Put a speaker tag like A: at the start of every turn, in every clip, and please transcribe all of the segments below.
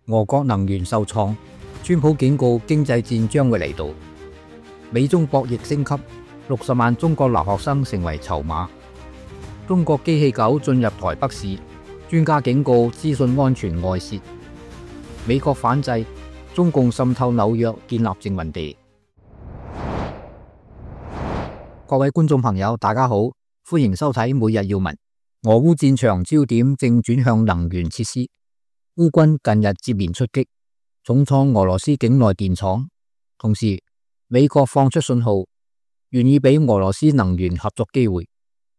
A: 俄國能源受創，川普警告經濟戰將會嚟到。美中博弈升級，60萬中國留學生成為籌碼。中國機器狗進入台北市，專家警告資訊安全外泄。美國反制，中共滲透紐約建立殖民地。各位觀眾朋友，大家好，歡迎收睇每日要聞。俄烏戰場焦點正轉向能源設施。烏軍近日接連出擊，重創俄羅斯境內電廠，同時美國放出信號，願意俾俄羅斯能源合作機會。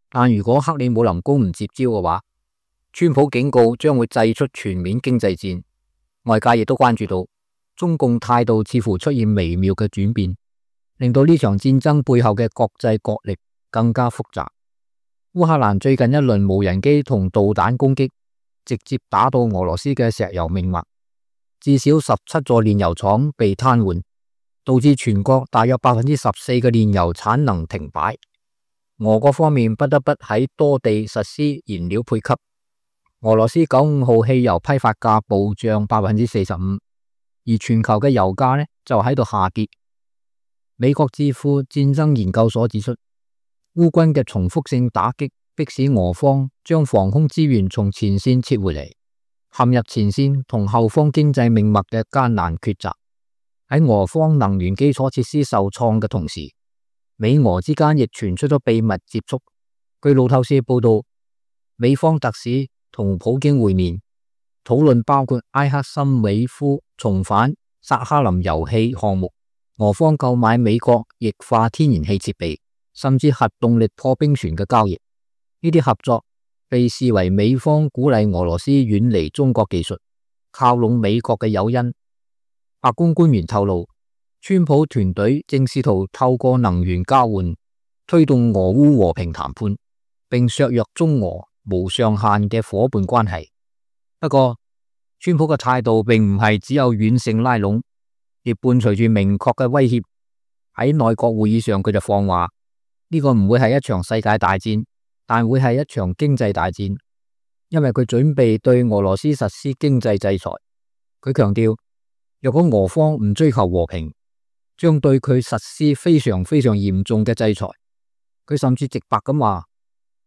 A: 但如果克里姆林宮唔接招嘅話，川普警告將會祭出全面經濟戰。外界亦都關注到中共態度似乎出現微妙嘅轉變，令到呢場戰爭背後嘅國際角力更加複雜。烏克蘭最近一輪無人機同導彈攻擊，直接打到俄羅斯嘅石油命脈，至少17座煉油廠被癱瘓，導致全國大約14%嘅煉油產能停擺。俄國方面不得不喺多地實施燃料配給。俄羅斯95號汽油批發價暴漲45%，而全球嘅油價呢就喺度下跌。美國智庫戰爭研究所指出，烏軍嘅重複性打擊迫使俄方將防空資源從前線撤回嚟，陷入前線同後方經濟命脈嘅艱難抉擇。喺俄方能源基礎設施受創嘅同時，美俄之間亦傳出咗秘密接觸。據路透社報道，美方特使同普京會面，討論包括埃克森美孚重返薩哈林油氣項目，俄方購買美國液化天然氣設備，甚至核動力破冰船嘅交易。呢啲合作被視為美方鼓勵俄羅斯遠離中國技術，靠攏美國嘅誘因。白宮官員透露，川普團隊正試圖透過能源交換推動俄烏和平談判，並削弱中俄無上限嘅夥伴關係。不過，川普嘅態度並唔係只有軟性拉攏，亦伴隨住明確嘅威脅。喺內閣會議上，佢就放話呢個唔會係一場世界大戰，但會係一場經濟大戰，因為佢準備對俄羅斯實施經濟制裁。佢強調，若果俄方唔追求和平，將對佢實施非常嚴重嘅制裁。佢甚至直白咁話，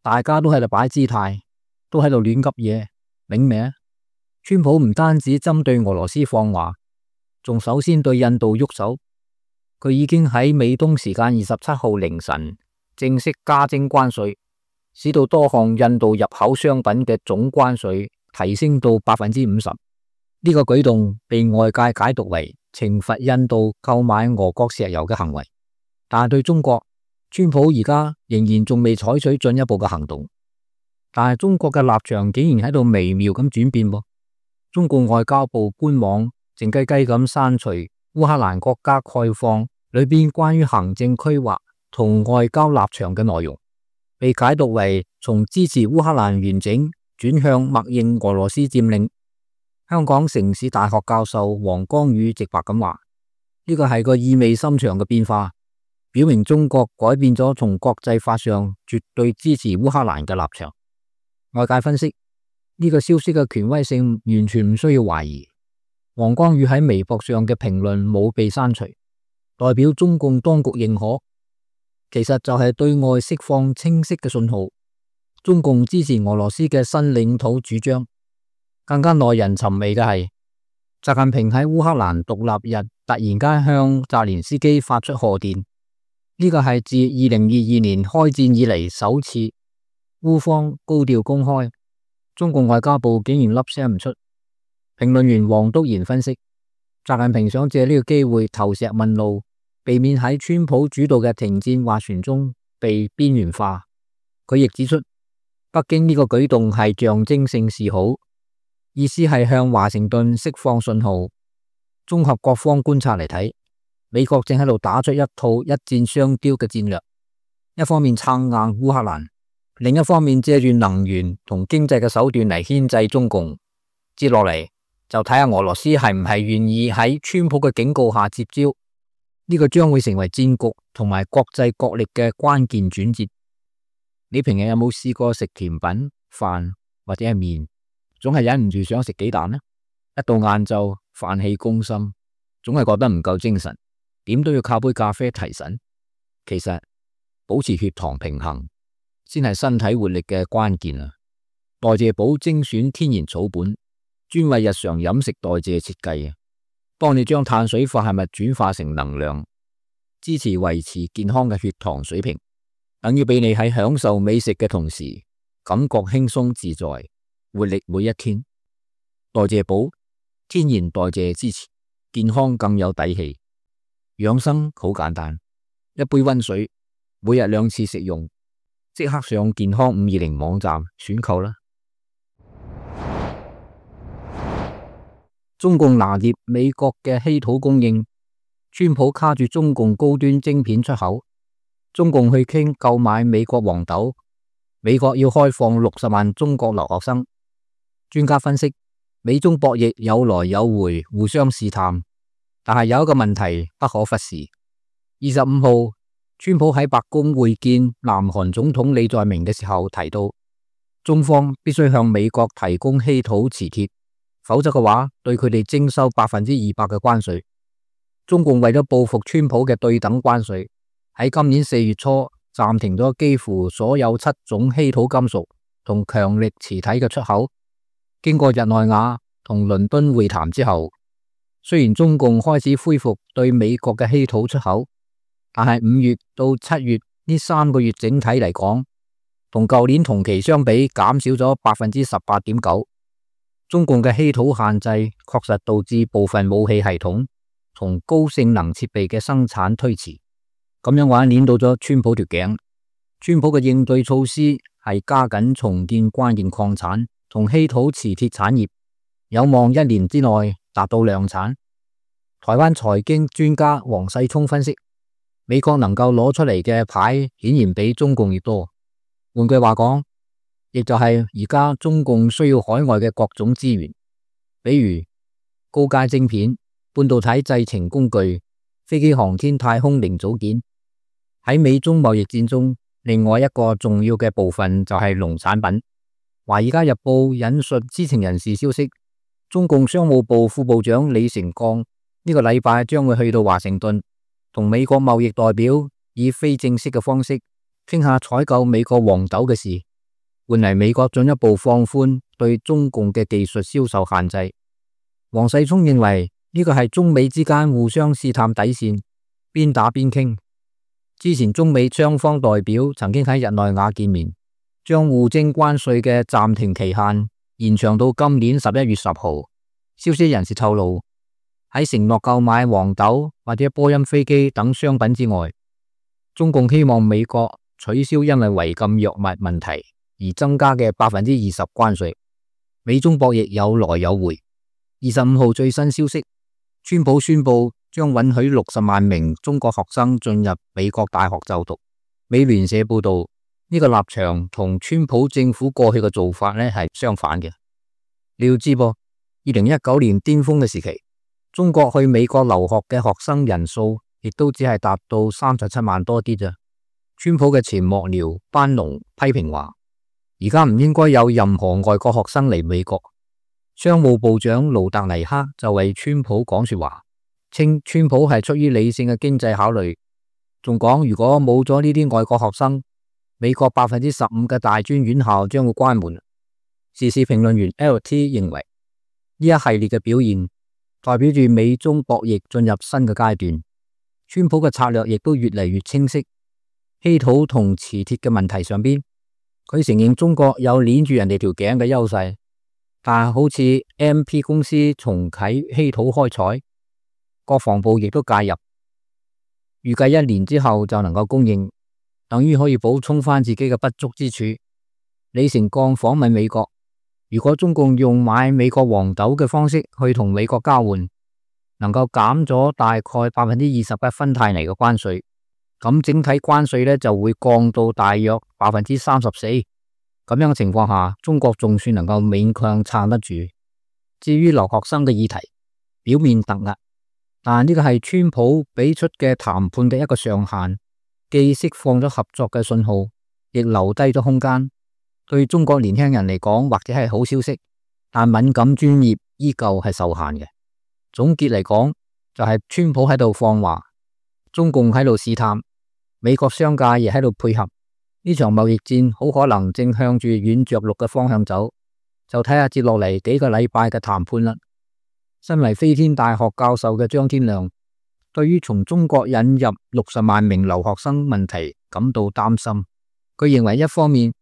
A: 大家都喺度擺姿態，都喺度亂急嘢，明未？川普唔單止針對俄羅斯放話，仲首先對印度喐手。佢已經喺美東時間27號凌晨正式加徵關稅，使到多項印度入口商品嘅總關稅提升到 50%。呢個舉動被外界解讀為懲罰印度購買俄國石油嘅行為，但係對中國，川普而家仍然仲未採取進一步嘅行動。但係中國嘅立場竟然喺度微妙咁轉變喎。中共外交部官網靜雞雞咁刪除烏克蘭國家概況裏邊關於行政規劃同外交立場嘅內容，被解讀為從支持烏克蘭完整轉向默認俄羅斯佔領。香港城市大學教授黃光宇直白咁話，呢個係個意味深長嘅變化，表明中國改變咗從國際法上絕對支持烏克蘭嘅立場。外界分析，呢個消息嘅權威性完全唔需要懷疑。黃光宇喺微博上嘅評論冇被刪除，代表中共當局認可，其實就係對外釋放清晰嘅信號，中共支持俄羅斯嘅新領土主張。更加耐人尋味嘅係，習近平喺烏克蘭獨立日突然間向澤連斯基發出賀電，呢個係自2022年開戰以嚟首次，烏方高調公開，中共外交部竟然粒聲唔出。評論員黃督賢分析，習近平想借呢個機會投石問路，避免喺川普主導嘅停戰斡旋中被邊緣化。佢亦指出，北京呢個舉動係象徵性示好，意思係向華盛頓釋放信號。綜合各方觀察嚟睇，美國正喺度打出一套一箭雙雕嘅戰略，一方面撐硬烏克蘭，另一方面借住能源同經濟嘅手段嚟牽制中共。接落嚟就睇下俄羅斯係唔係願意喺川普嘅警告下接招，呢個將會成為戰局同埋國際角力嘅關鍵轉折。你平日有冇試過食甜品、飯或者係麵，總係忍唔住想食雞蛋呢？一到晏晝飯氣攻心，總係覺得唔夠精神，點都要靠杯咖啡提神。其實保持血糖平衡先係身體活力嘅關鍵啊！代謝寶精選天然草本，專為日常飲食代謝設計，幫你將碳水化合物轉化成能量，支持維持健康嘅血糖水平，等於俾你喺享受美食嘅同時，感覺輕鬆自在，活力每一天。代謝寶天然代謝支持，健康更有底氣。養生好簡單，一杯溫水，每日2次食用，即刻上健康520網站選購啦！中共拿捏美國嘅稀土供應，川普卡住中共高端晶片出口，中共去傾購買美國黃豆，美國要開放60萬中國留學生。專家分析，美中博弈有來有回，互相試探，但係有一個問題不可忽視。25號，川普喺白宮會見南韓總統李在明嘅時候提到，中方必須向美國提供稀土磁鐵，否則嘅話對佢哋徵收200%嘅關稅。中共為咗報復川普嘅對等關稅，喺今年4月初暫停咗幾乎所有7種稀土金屬同強力磁體嘅出口。經過日內瓦同倫敦會談之後，雖然中共開始恢復對美國嘅稀土出口，但係5月到7月呢3個月整體嚟講，同舊年同期相比減少咗18.9%。中共嘅稀土限制確實導致部分武器系統同高性能設備嘅生產推遲，咁樣話捏到咗川普條頸。川普嘅應對措施係加緊重建關鍵礦產同稀土磁鐵產業，有望1年之內達到量產。台灣財經專家黃世聰分析，美國能夠攞出嚟嘅牌顯然比中共越多。換句話講，亦就係而家中共需要海外嘅各種資源，比如高階晶片、半導體製程工具、飛機航天太空零組件。喺美中貿易戰中，另外一個重要嘅部分就係農產品。華爾街日報引述知情人士消息，中共商務部副部長李成鋼呢個禮拜將會去到華盛頓，同美國貿易代表以非正式嘅方式傾下採購美國黃豆嘅事，換嚟美國進一步放寬對中共嘅技術銷售限制。黃世聰認為呢個係中美之間互相試探底線，邊打邊傾。之前中美雙方代表曾經喺日內瓦見面，將互徵關稅嘅暫停期限延長到今年11月10號。消息人士透露，喺承諾購買黃豆或者波音飛機等商品之外，中共希望美國取消因為違禁藥物問題而增加嘅20%關稅。美中博弈有來有回。25號最新消息，川普宣布將允許60萬名中國學生進入美國大學就讀。美聯社報道，呢個立場同川普政府過去嘅做法呢係相反嘅。你要知噃，2019年巔峰嘅時期，中國去美國留學嘅學生人數亦都只係達到37萬多啲咋。川普嘅前幕僚班農批評話，而家唔應該有任何外國學生嚟美國。商務部長盧特尼克就為川普講說話，稱川普係出於理性嘅經濟考慮，仲講如果冇咗呢啲外國學生，美國15%嘅大專院校將會關門。時事評論員 LT 認為，呢一系列嘅表現代表住美中博弈進入新嘅階段，川普嘅策略亦都越嚟越清晰。稀土同磁鐵嘅問題上邊，佢承認中國有捏住人哋條頸嘅優勢。但好似 MP 公司重啟稀土開採，國防部亦都介入，預計1年之後就能夠供應，等於可以補充翻自己嘅不足之處。李成鋼訪問美國，如果中共用買美國黃豆嘅方式去同美國交換，能夠減咗大概20%嘅芬太尼嘅關稅，咁整體關稅呢就會降到大約34%。咁樣嘅情況下，中國仲算能夠勉強撐得住。至於留學生嘅議題，表面突兀，但呢個係川普俾出嘅談判嘅一個上限，既釋放咗合作嘅信號，亦留低咗空間。對中國年輕人嚟講，或者係好消息，但敏感專業依舊係受限嘅。總結嚟講，就係川普喺度放話，中共喺度試探，美國商界亦喺度配合。呢場貿易戰好可能正向住軟着陸嘅方向走，就睇下接落嚟幾個禮拜嘅談判啦。身為飛天大學教授嘅張天亮，對於從中國引入60萬名留學生問題感到擔心。佢認為一方面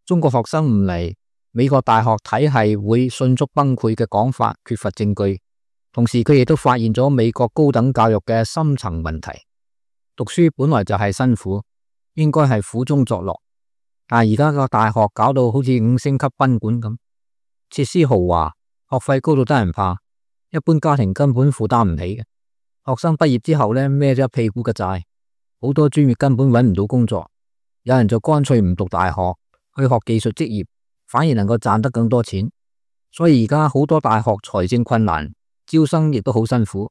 A: 中國學生唔嚟，美國大學體系會迅速崩潰嘅講法缺乏證據，同時佢亦都發現咗美國高等教育嘅深層問題。讀書本來就係辛苦，應該係苦中作樂，但係而家個大學搞到好似5星級賓館咁，設施豪華，學費高到得人怕，一般家庭根本負擔唔起嘅。學生畢業之後呢，孭咗一屁股嘅債，好多專業根本揾唔到工作，有人就乾脆唔讀大學，去學技術職業，反而能夠賺得更多錢。所以而家好多大學財政困難，招生亦都好辛苦。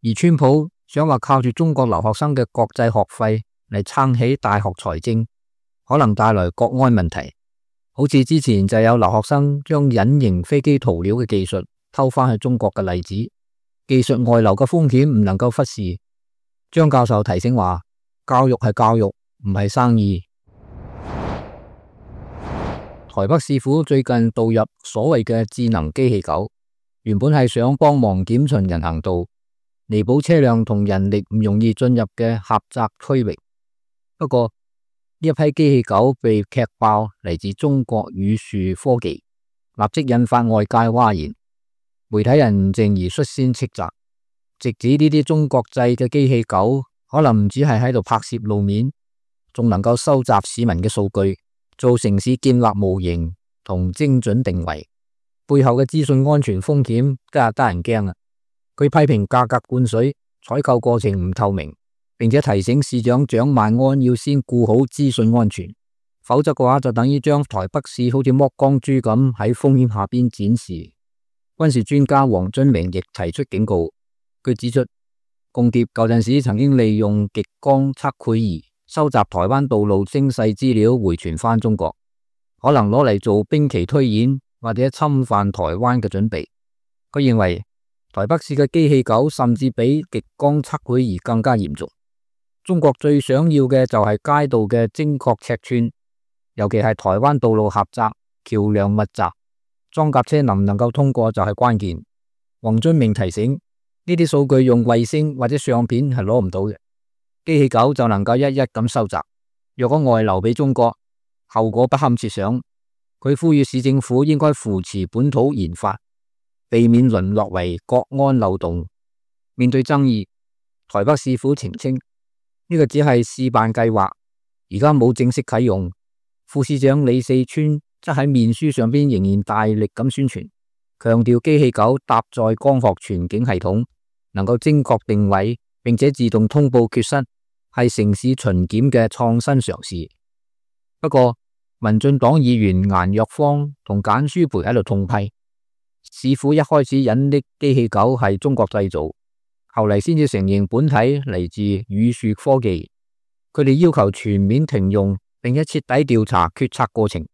A: 而川普想話靠住中國留學生嘅國際學費嚟撐起大學財政，可能帶來國安問題。好似之前就有留學生將隱形飛機塗料嘅技術偷返去中國嘅例子，技術外流嘅風險唔能夠忽視。張教授提醒話，教育係教育，唔係生意。台北市府最近導入所謂嘅智能機器狗，原本係想幫忙檢巡人行道，彌補車輛同人力唔容易進入嘅狹窄區域。不過呢一批機器狗被踢爆嚟自中國宇樹科技，立即引發外界譁然。媒體人唔靜而率先斥責，直指呢啲中國製嘅機器狗可能唔止係喺度拍攝路面，仲能夠收集市民嘅數據，做城市建立模型同精準定位，背後嘅資訊安全風險真係得人驚啊！佢批評價格灌水、採購過程唔透明，並且提醒市長蔣萬安要先顧好資訊安全，否則嘅話就等於將台北市好似剝光豬咁喺風險下邊展示。軍事專家黃遵明亦提出警告，佢指出，共諜舊陣時曾經利用極光測繪儀收集台灣道路精細資料回傳返中國，可能攞嚟做兵棋推演或者侵犯台灣嘅準備。佢認為台北市嘅機器狗甚至比極光測繪儀更加嚴重。中國最想要嘅就係街道嘅精確尺寸，尤其係台灣道路狹窄、橋樑密集，裝甲車能唔能夠通過就係關鍵。黃遵明提醒，呢啲數據用衛星或者相片係攞唔到嘅，機器狗就能夠一一咁收集。若果外流俾中國，後果不堪設想。佢呼籲市政府應該扶持本土研發，避免淪落為國安漏洞。面對爭議，台北市府澄清呢個只係試辦計劃，而家冇正式啟用。副市長李四川則喺面書上邊仍然大力咁宣傳，強調機器狗搭載光學全景系統，能夠精確定位，並且自動通報缺失，係城市巡檢嘅創新嘗試。不過，民進黨議員顏若芳同簡舒培喺度痛批，市府一開始隱匿機器狗係中國製造，後嚟先至承認本體嚟自宇樹科技。佢哋要求全面停用，並且徹底調查決策過程，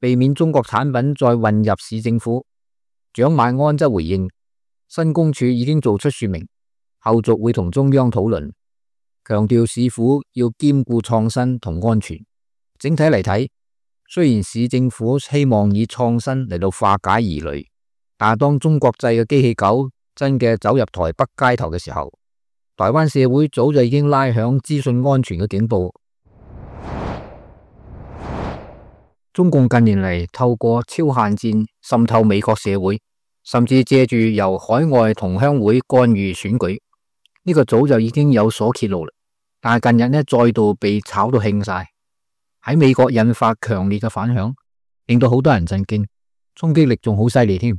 A: 避免中國產品再混入市政府。蔣萬安則回應，新公署已經做出說明，後續會同中央討論，強調市府要兼顧創新同安全。整體嚟睇，雖然市政府希望以創新嚟到化解疑慮，但係當中國製嘅機器狗真嘅走入台北街頭嘅時候，台灣社會早就已經拉響資訊安全嘅警報。中共近年嚟透過超限戰滲透美國社會，甚至借住由海外同鄉會干預選舉，呢個早就已經有所揭露啦。但係近日呢，再度被炒到興晒，喺美國引發強烈嘅反響，令到好多人震驚，衝擊力仲好犀利添。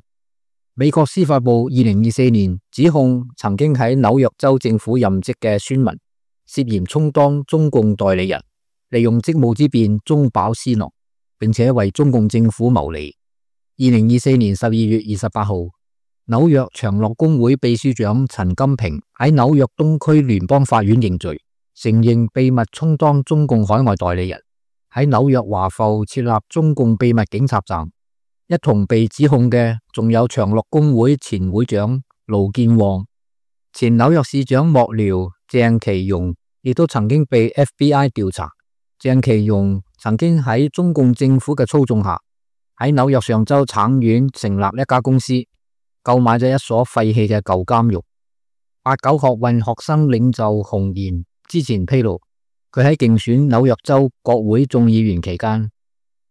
A: 美國司法部2024年指控曾經喺紐約州政府任職嘅孫文涉嫌充當中共代理人，利用職務之便中飽私囊，並且為中共政府謀利。2024年12月28號，紐約長樂工會秘書長陳金平喺紐約東區聯邦法院認罪，承認秘密充當中共海外代理人，喺紐約華埠設立中共秘密警察站，一同被指控嘅仲有長樂工會前會長盧健旺、前紐約市長幕僚鄭其容，亦都曾經被 FBI 調查。鄭其容曾經喺中共政府嘅操縱下，喺紐約上州橙縣成立一家公司，購買咗一所廢棄嘅舊監獄。89學運學生領袖洪賢之前披露，佢喺競選紐約州國會眾議員期間，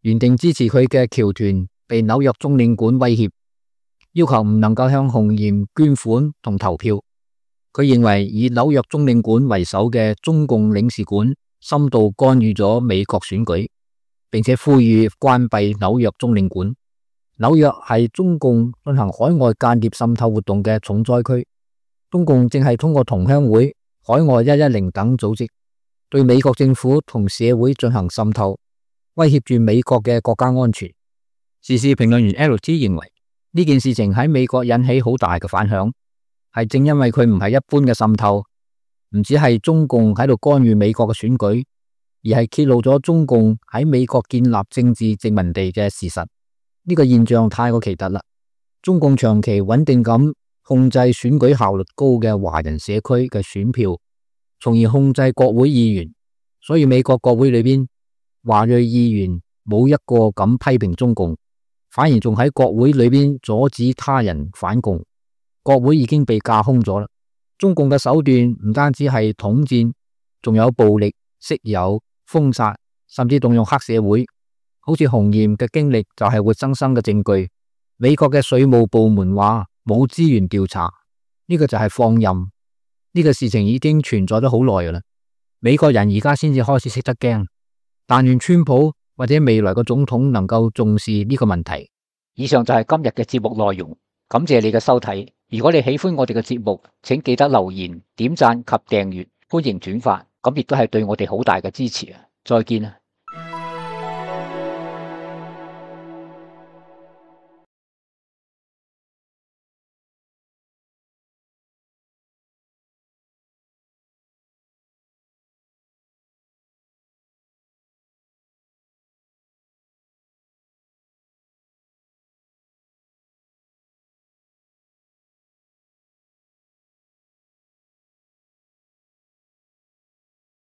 A: 原定支持佢嘅僑團被紐約中領館威脅，要求唔能夠向洪賢捐款同投票。佢認為以紐約中領館為首嘅中共領事館深度干預咗美國選舉，並且呼籲關閉紐約中領館。紐約係中共進行海外間諜滲透活動嘅重災區。中共正係通過同鄉會、海外110等組織，對美國政府同社會進行滲透，威脅住美國嘅國家安全。時事評論員 LT 認為，呢件事情喺美國引起好大嘅反響，係正因為佢唔係一般嘅滲透，唔只係中共喺度干預美國嘅選舉，而係揭露咗中共喺美國建立政治殖民地嘅事實。呢個現象太過奇特啦！中共長期穩定咁控制選舉效率高嘅華人社區嘅選票，從而控制國會議員，所以美國國會裏邊華裔議員冇一個敢批評中共，反而仲喺國會裏邊阻止他人反共。國會已經被架空咗啦。中共嘅手段唔單止係統戰，仲有暴力、色誘、封殺，甚至動用黑社會。好似洪賢嘅經歷就係活生生嘅證據。美國嘅稅務部門話冇資源調查，呢個就係放任。呢個事情已經存在咗好耐噶啦。美國人而家先至開始識得驚，但願川普或者未來嘅總統能夠重視呢個問題。以上就係今日嘅節目內容，感謝你嘅收睇。如果你喜歡我哋嘅節目，請記得留言、點讚及訂閱，歡迎轉發，咁亦都係對我哋好大嘅支持啊！再見啊！